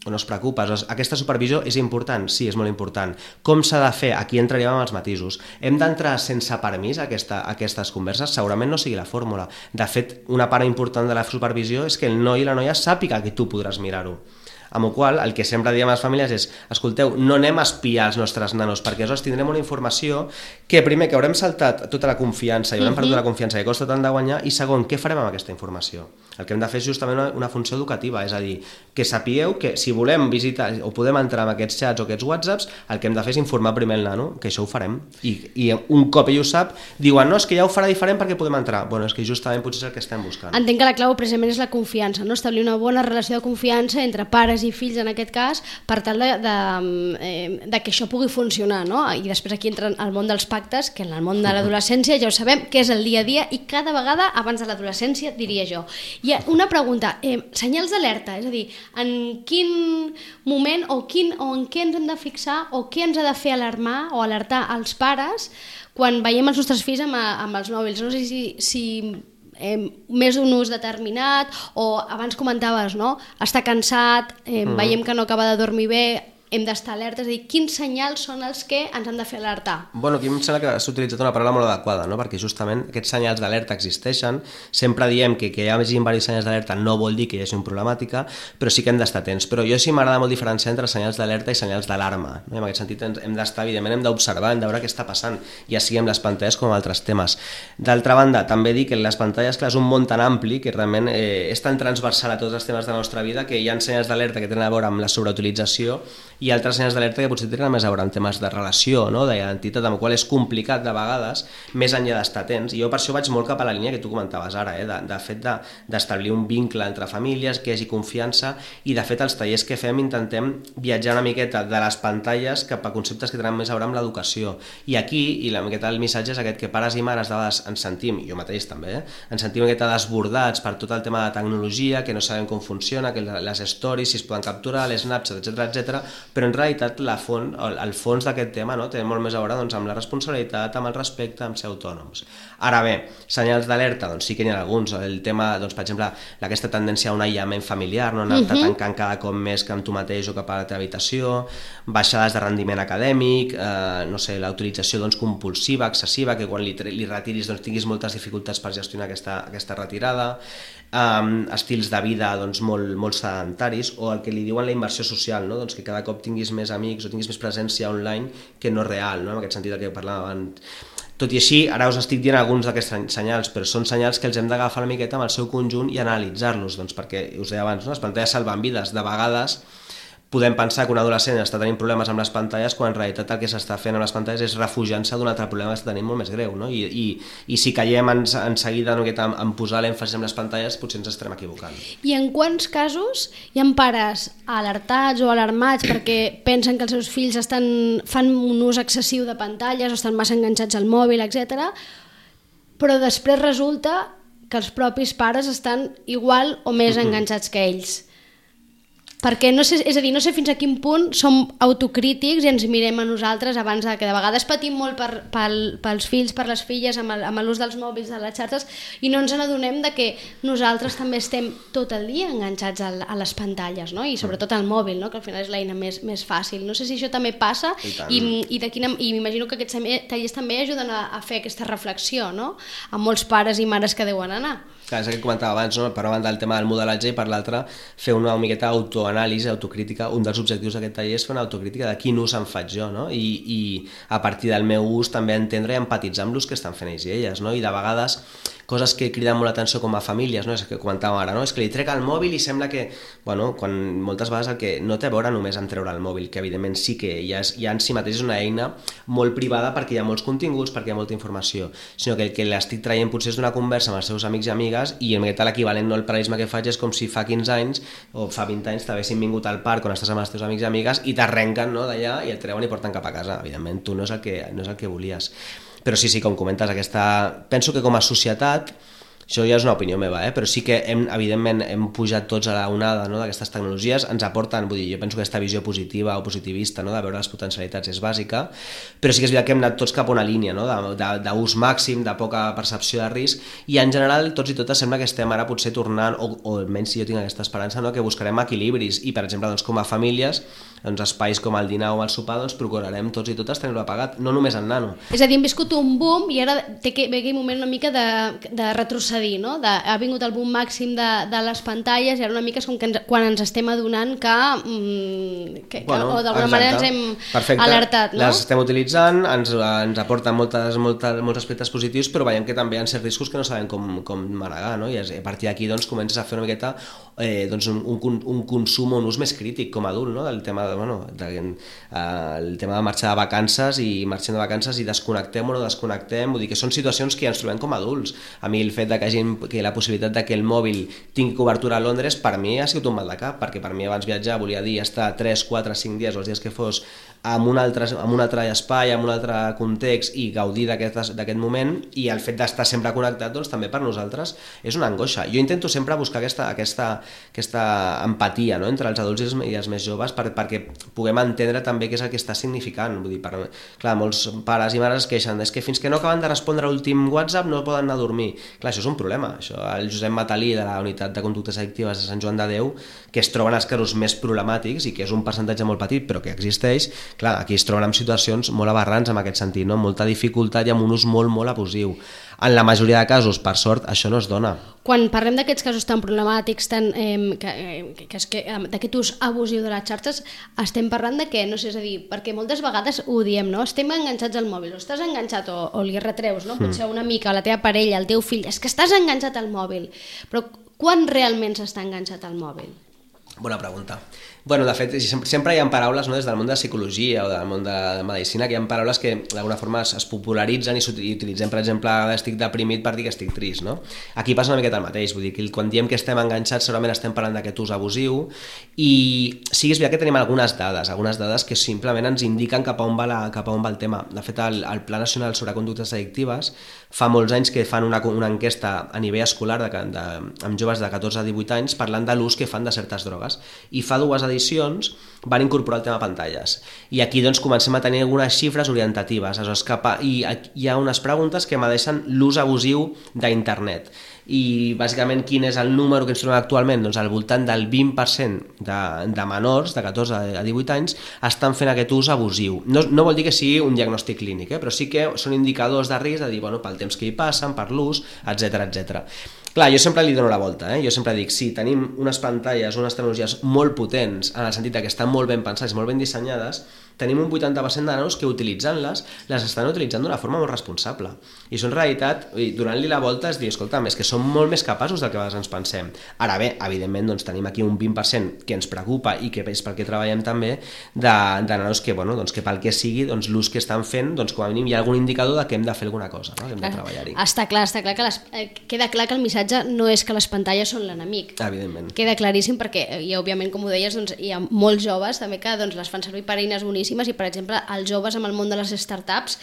o no es preocupa. Aquesta supervisió és important? Sí, és molt important. Com s'ha de fer? Aquí entraríem amb els matisos. Hem d'entrar sense permís a aquestes converses? Segurament no sigui la fórmula. De fet, una part important de la supervisió és que el noi i la noia sàpiga que tu podràs mirar-ho. Amb la qual cosa, el que sempre diem a les famílies és: escolteu, no anem a espiar els nostres nanos, perquè aleshores tindrem una informació que, primer, que haurem saltat tota la confiança i haurem perdut la confiança que costa tant de guanyar, i segon, què farem amb aquesta informació? El que hem de fer és justament una funció educativa, és a dir, que sapigueu que si volem visitar o podem entrar en aquests chats o aquests whatsapps, el que hem de fer és informar primer el nano, que això ho farem, i un cop ell ho sap, diuen: no, és que ja ho farà diferent perquè podem entrar. Bueno, és que justament potser és el que estem buscant. Entenc que la clau precisament és la confiança, no? Establir una bona relació de confiança entre pares i fills, en aquest cas, per tal de que això pugui funcionar, no? I després aquí entra el món dels pactes, que en el món de l'adolescència ja ho sabem, que és el dia a dia, i cada vegada abans de l'adolescència, diria jo. I una pregunta, senyals d'alerta, és a dir, en quin moment o en què ens hem de fixar o què ens ha de fer alarmar o alertar als pares quan veiem els nostres fills amb els mòbils? No sé si més d'un ús determinat, o abans comentaves, no? Està cansat, veiem que no acaba de dormir bé, hem d'estar alertes, és a dir, quins senyals són els que ens han de fer alertar? Bueno, aquí em sembla que s'ha utilitzat una paraula molt adequada, no? Perquè justament aquests senyals d'alerta existeixen, sempre diem que hi hagi diversos senyals d'alerta no vol dir que hi hagi una problemàtica, però sí que hem d'estar atents. Però jo sí m'agrada molt diferenciar entre senyals d'alerta i senyals d'alarma, no? En aquest sentit hem d'estar, evidentment, hem d'observar, hem de veure què està passant, ja sigui amb les pantalles com amb altres temes. D'altra banda, també dir que les pantalles, clar, és un món tan ampli que realment és tan transversal a tots els temes de la nostra vida que hi ha senyals d'alerta que tenen a veure amb la sobreutilització i altres senyals d'alerta que potser tenen més a veure amb temes de relació, no? D'identitat, amb el qual és complicat de vegades, més enllà d'estar atents. I jo per això vaig molt cap a la línia que tu comentaves ara, de fet d'establir un vincle entre famílies, que hi hagi confiança, i de fet els tallers que fem intentem viatjar una miqueta de les pantalles cap a conceptes que tenen més a veure amb l'educació. I aquí, i la miqueta del missatge és aquest, que pares i mares de vegades ens sentim, jo mateix també, ens sentim una miqueta desbordats per tot el tema de tecnologia, que no sabem com funciona, que les stories si es poden capturar, les Snapchat, etc, però en realitat el fons d'aquest tema, no, té molt més a veure amb la responsabilitat, amb el respecte, amb ser autònoms. Ara bé, senyals d'alerta, sí que n'hi ha alguns. El tema, per exemple, aquesta tendència a un aïllament familiar, no, anar-te tancant cada cop més que amb tu mateix o cap a la teva habitació, baixades de rendiment acadèmic, no sé, la utilització compulsiva, excessiva, que quan li retiris tinguis moltes dificultats per gestionar aquesta retirada, estils de vida molt sedentaris, o el que li diuen la inversió social, no? Que cada cop tinguis més amics o tinguis més presència online que no real, no? En aquest sentit del que parlàvem abans. Tot i així, ara us estic dient alguns d'aquests senyals, però són senyals que els hem d'agafar una miqueta amb el seu conjunt i analitzar-los, perquè us deia abans, les pantalles salven vides. De vegades podem pensar que un adolescent està tenint problemes amb les pantalles quan en realitat el que s'està fent amb les pantalles és refugiant-se d'un altre problema que està tenint molt més greu, no? I si caiem en seguida en posar l'èmfasi en les pantalles, potser ens estarem equivocant. I en quants casos hi ha pares alertats o alarmats perquè pensen que els seus fills fan un ús excessiu de pantalles o estan massa enganxats al mòbil, etc., però després resulta que els propis pares estan igual o més enganxats que ells? Perquè no sé, és a dir, no sé fins a quin punt som autocrítics i ens mirem a nosaltres abans que de vegades patim molt pels fills, per les filles amb l'ús dels mòbils, de les xarxes, i no ens n'adonem de que nosaltres també estem tot el dia enganxats a les pantalles, no? I sobretot al mòbil, no? Que al final és l'eina més fàcil. No sé si això també passa i m'imagino que aquests tallers també ajuden a fer aquesta reflexió, no? A molts pares i mares que deuen anar. Clar, és el que comentava abans, no? Per una banda el tema del modelatge i per l'altra fer una miqueta autoanàlisi, autocrítica. Un dels objectius d'aquest taller és fer una autocrítica de quin ús en faig jo, no? I a partir del meu ús també entendre i empatitzar amb l'ús que estan fent ells i elles, no? I de vegades coses que criden molt l'atenció com a famílies, no? És que comentàvem ara, no? És que li trec el mòbil i sembla que, bueno, quan moltes vegades el que no té a veure només en treure el mòbil, que evidentment sí que ja en si mateix és una eina molt privada perquè hi ha molts continguts, perquè hi ha molta informació, sinó que el que l'estic traient potser és d'una conversa amb els seus amics i amigues, i l'equivalent, no, el paral·lelisme que faig és com si fa 15 anys o fa 20 anys t'haguessin vingut al parc on estàs amb els teus amics i amigues i t'arrenquen, no, d'allà i et treuen i porten cap a casa. Evidentment tu no és el que volies. Però sí, com comentes, penso que com a societat Això ja és una opinió meva, però sí que evidentment hem pujat tots a la onada, no, d'aquestes tecnologies, ens aporten, vull dir, jo penso que aquesta visió positiva o positivista, no, de veure les potencialitats és bàsica, però sí que és veritat que hem anat tots cap a una línia, no, d'ús màxim, de poca percepció de risc, i en general tots i totes sembla que estem ara potser tornant, o almenys si jo tinc aquesta esperança, no, que buscarem equilibris, i per exemple doncs, com a famílies, doncs, espais com el dinar o el sopar, doncs procurarem tots i totes tenir-ho apagat, no només en nano. És a dir, hem viscut un boom i ara té que ve aquell moment una mica de retrocedir, no? Ha vingut el boom màxim de les pantalles i ara una mica és com que quan ens estem adonant que o d'alguna manera ens hem alertat, no? Les estem utilitzant, ens aporten molts aspectes positius, però veiem que també hi ha certs riscos que no sabem com manegar, no? I a partir d'aquí doncs, comences a fer una miqueta doncs, un consum o un ús més crític com a adult, no? Del tema el tema de marxar de vacances i marxem de vacances i desconnectem o no desconnectem, vull dir que són situacions que ja ens trobem com a adults. A mi el fet de que la possibilitat de que el mòbil tingui cobertura a Londres per mi ha sigut un mal de cap, perquè per mi abans viatjar volia dir estar 3, 4, 5 dies o els dies que fos en un altre espai, en un altre context i gaudir d'aquest moment, i el fet d'estar sempre connectat doncs, també per nosaltres és una angoixa. Jo intento sempre buscar aquesta empatia, no?, entre els adults i els més joves perquè puguem entendre també què és el que està significant. Vull dir, clar, molts pares i mares es queixen és que fins que no acaben de respondre l'últim WhatsApp no poden anar a dormir. Clar, això és un problema. Això, el Josep Matalí de la Unitat de Conductes Addictives de Sant Joan de Déu, que es troben els casos més problemàtics i que és un percentatge molt petit però que existeix, clar, aquí es troben en situacions molt aberrants en aquest sentit, no? Molta dificultat i amb un ús molt, molt abusiu. En la majoria de casos, per sort, això no es dona. Quan parlem d'aquests casos tan problemàtics, d'aquest ús abusiu de les xarxes, estem parlant de què? No sé, és a dir, perquè moltes vegades ho diem, no? Estem enganxats al mòbil, o estàs enganxat o li retreus, no? Potser una mica a la teva parella, al teu fill, és que estàs enganxat al mòbil. Però quan realment s'està enganxat al mòbil? Bona pregunta. Bueno, de fet, sempre hi ha paraules, no, des del món de la psicologia o del món de la medicina, que hi ha paraules que d'alguna forma es popularitzen i utilitzem, per exemple, estic deprimit per dir que estic trist, no? Aquí passa una miqueta el mateix, vull dir que quan diem que estem enganxats segurament estem parlant d'aquest ús abusiu, i sí que és veritat que tenim algunes dades que simplement ens indiquen cap a on va el tema. De fet, el Pla Nacional sobre Conductes Addictives fa molts anys que fan una enquesta a nivell escolar amb joves de 14 a 18 anys parlant de l'ús que fan de certes drogues, i fa 2 edicions van incorporar el tema pantalles, i aquí doncs comencem a tenir algunes xifres orientatives, i hi ha unes preguntes que medeixen l'ús abusiu d'internet, i bàsicament quin és el número que ens trobem actualment? Doncs al voltant del 20% de menors de 14 a 18 anys estan fent aquest ús abusiu. No vol dir que sigui un diagnòstic clínic, però sí que són indicadors de risc de dir, bueno, pel temps que hi passen, per l'ús, etc. Clar, jo sempre li dono la volta, jo sempre dic, sí, tenim unes pantalles, unes tecnologies molt potents, en el sentit que estan molt ben pensades, molt ben dissenyades, tenim un 80% de nanos que utilitzant-les, les estan utilitzant d'una forma molt responsable. I això en realitat, donant-li la volta és dir, escolta'm, és que som molt més capaços del que a vegades ens pensem. Ara bé, evidentment, doncs, tenim aquí un 20% que ens preocupa i que és pel que treballem també, de nanos que, bueno, doncs, que pel que sigui, doncs, l'ús que estan fent, doncs, com a mínim hi ha algun indicador de que hem de fer alguna cosa, no? Que hem de treballar-hi. Està clar que queda clar que el missatge no és que les pantalles són l'enemic. Evidentment. Queda claríssim perquè, i òbviament, com ho deies, doncs, hi ha molts joves també que doncs, les fan servir per eines boníssimes, i per exemple els joves amb el món de les startups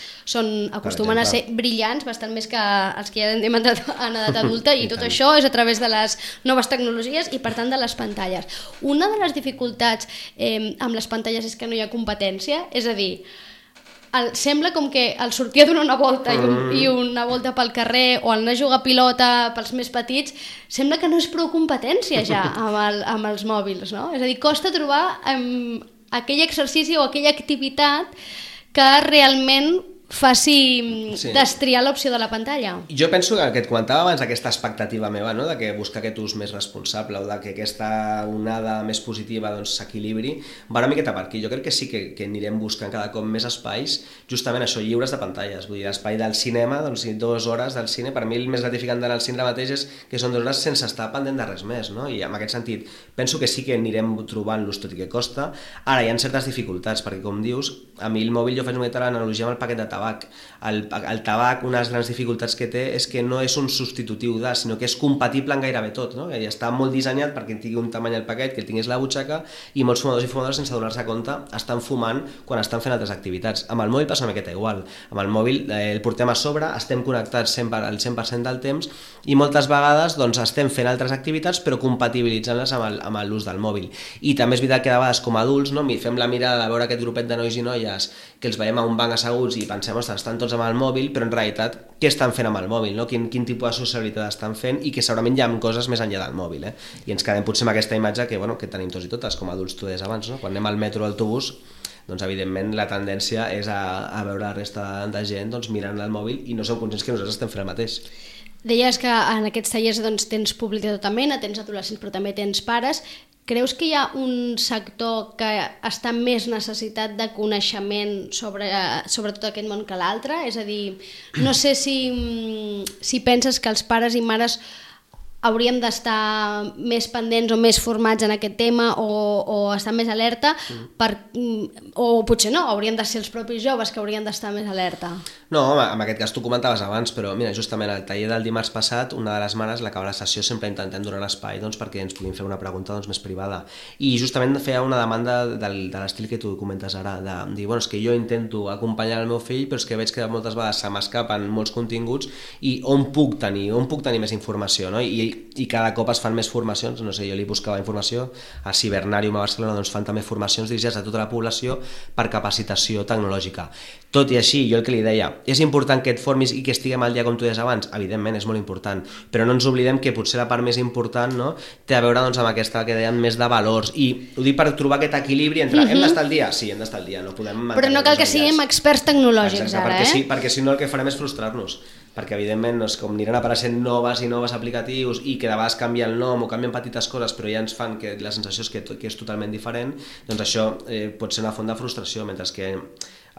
acostumen a ser brillants, bastant més que els que ja hem entrat en edat adulta, i tot això és a través de les noves tecnologies i per tant de les pantalles. Una de les dificultats amb les pantalles és que no hi ha competència, és a dir, sembla com que el sortir a donar una volta i una volta pel carrer o anar a jugar a pilota pels més petits, sembla que no és prou competència ja amb els mòbils, no? És a dir, costa trobar aquell exercici o aquella activitat que realment faci destriar l'opció de la pantalla. Jo penso que el que et comentava abans, aquesta expectativa meva, no? De que buscar aquest ús més responsable o de que aquesta onada més positiva doncs, s'equilibri, va una miqueta per aquí. Jo crec que sí que anirem buscant cada cop més espais, justament això, lliures de pantalles. Vull dir, l'espai del cinema, doncs 2 hores del cine, per mi el més gratificant d'anar al cine mateix és que són 2 hores sense estar pendent de res més, no? I en aquest sentit penso que sí que anirem trobant-los, tot i que costa. Ara hi ha certes dificultats, perquè com dius, a mi el mòbil jo faig una mica l'analogia amb el paquet de tabac. tabac. El tabac, una de les grans dificultats que té és que no és un substitutiu de, sinó que és compatible en gairebé tot, no? I està molt dissenyat perquè tingui un tamany al paquet, que el tingués a la butxaca, i molts fumadors i fumadores, sense donar-se compte, estan fumant quan estan fent altres activitats. Amb el mòbil passa una miqueta igual. Amb el mòbil el portem a sobre, estem connectats al 100% del temps i moltes vegades doncs, estem fent altres activitats però compatibilitzant-les amb l'ús del mòbil. I també és veritat que de vegades com a adults no, fem la mirada de veure aquest grupet de nois i noies que els veiem a un banc asseguts i pensem, ostres, estan tots amb el mòbil, però en realitat què estan fent amb el mòbil, no? Quin tipus de sociabilitat estan fent i que segurament hi ha coses més enllà del mòbil, I ens quedem potser amb aquesta imatge que tenim tots i totes, com a adults tu deies abans, no? Quan anem al metro o al autobús, doncs evidentment la tendència és a veure la resta de gent doncs, mirant el mòbil i no som conscients que nosaltres estem fent el mateix. Deies que en aquests tallers doncs, tens públic de tota mena, tens adolescents però també tens pares. Creus que hi ha un sector que està més necessitat de coneixement sobre tot aquest món que l'altre? És a dir, no sé si penses que els pares i mares hauríem d'estar més pendents o més formats en aquest tema o estar més alerta o potser no, haurien de ser els propis joves que haurien d'estar més alerta. No, en aquest cas tu comentaves abans, però mira, justament al taller del dimarts passat, una de les mares, l'acabar la sessió, sempre intentem donar l'espai perquè ens puguin fer una pregunta més privada. I justament feia una demanda de l'estil que tu comentes ara, de dir, és que jo intento acompanyar el meu fill, però és que veig que moltes vegades se m'escapen molts continguts i on puc tenir més informació, no? I cada cop es fan més formacions, no sé, jo li buscava informació, a Cibernarium a Barcelona doncs fan també formacions dirigides a tota la població per capacitació tecnològica. Tot i així, jo el que li deia, és important que et formis i que estiguem al dia com tu deies abans, evidentment és molt important, però no ens oblidem que potser la part més important té a veure amb aquesta que dèiem més de valors, i ho dic per trobar aquest equilibri entre hem d'estar al dia? Sí, hem d'estar al dia, no podem mantenir. Però no cal que siguem experts tecnològics ara, perquè si no el que farem és frustrar-nos, perquè evidentment com aniran apareixent noves i noves aplicatius i que de vegades canvia el nom o canvien petites coses però ja ens fan que la sensació és que és totalment diferent, doncs això pot ser una font de frustració, mentre que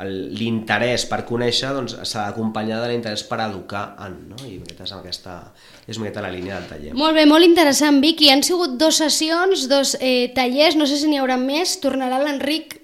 l'interès per conèixer s'ha d'acompanyar de l'interès per educar no? I aquesta és una miqueta la línia del taller. Molt bé, molt interessant, Vicky. Han sigut 2 sessions, 2 tallers, no sé si n'hi haurà més. Tornarà l'Enric.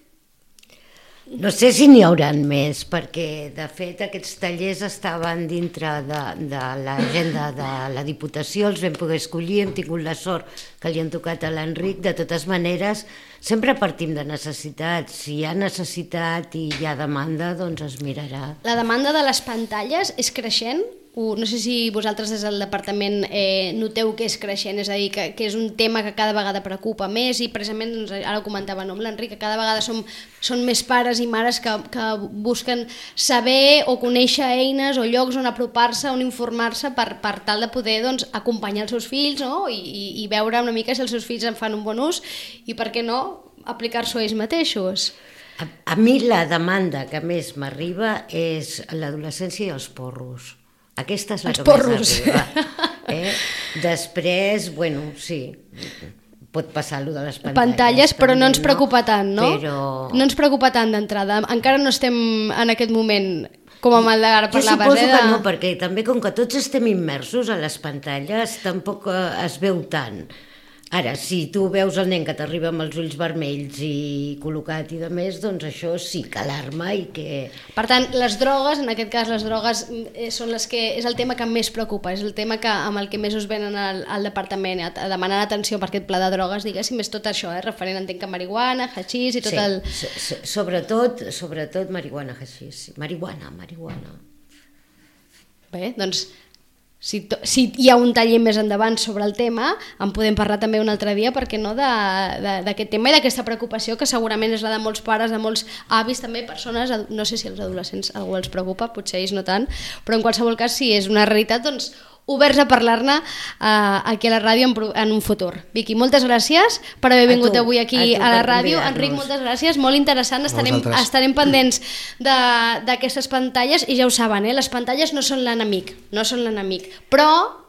No sé si n'hi haurà més, perquè de fet aquests tallers estaven dintre de l'agenda de la Diputació, els vam poder escollir, hem tingut la sort que li han tocat a l'Enric. De totes maneres, sempre partim de necessitats. Si hi ha necessitat i hi ha demanda, doncs es mirarà. La demanda de les pantalles és creixent? No sé si vosaltres des del departament noteu que és creixent, és a dir, que és un tema que cada vegada preocupa més i precisament, ara ho comentava amb l'Enric, que cada vegada són més pares i mares que busquen saber o conèixer eines o llocs on apropar-se, on informar-se per tal de poder acompanyar els seus fills i veure una mica si els seus fills en fan un bon ús i per què no aplicar-s'ho ells mateixos. A mi la demanda que més m'arriba és l'adolescència i els porros. Aquesta és la que més arriba. Després, sí, pot passar allò de les pantalles, però no ens preocupa tant, no? No ens preocupa tant d'entrada. Encara no estem en aquest moment com amb el d'ara parlaves. Jo suposo que no, perquè també com que tots estem immersos a les pantalles, tampoc es veu tant. Ara, si tu veus el nen que t'arriba amb els ulls vermells i col·locat i de més, doncs això sí que alarma i que... Per tant, les drogues, en aquest cas les drogues són les que és el tema que més preocupa, és el tema amb el que més us venen al departament a demanar atenció per aquest pla de drogues, diguéssim, és tot això, referent, entenc que marihuana, hachís i tot el... Sí, sobretot marihuana, hachís, marihuana. Bé, doncs... Si hi ha un taller més endavant sobre el tema, en podem parlar també un altre dia, perquè no, d'aquest tema i d'aquesta preocupació que segurament és la de molts pares, de molts avis, també persones, no sé si els adolescents algú els preocupa, potser ells no tant, però en qualsevol cas si és una realitat, doncs oberts a parlar-ne aquí a la ràdio en un futur. Vicky, moltes gràcies per haver vingut avui aquí a la ràdio. Enric, moltes gràcies, molt interessant, estarem pendents d'aquestes pantalles i ja ho saben, les pantalles no són l'enemic, però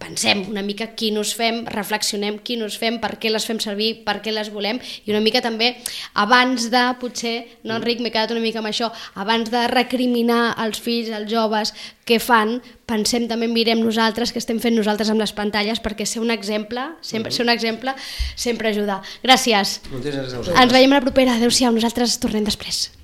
pensem una mica quin ús fem, reflexionem quin ús fem, per què les fem servir, per què les volem, i una mica també abans de, potser, no Enric, m'he quedat una mica amb això, abans de recriminar als fills, als joves què fan, pensem també, mirem nosaltres, què estem fent nosaltres amb les pantalles, perquè ser un exemple sempre ajuda. Gràcies. Moltes gràcies a vosaltres. Ens veiem a la propera. Adéu-siau, nosaltres tornem després.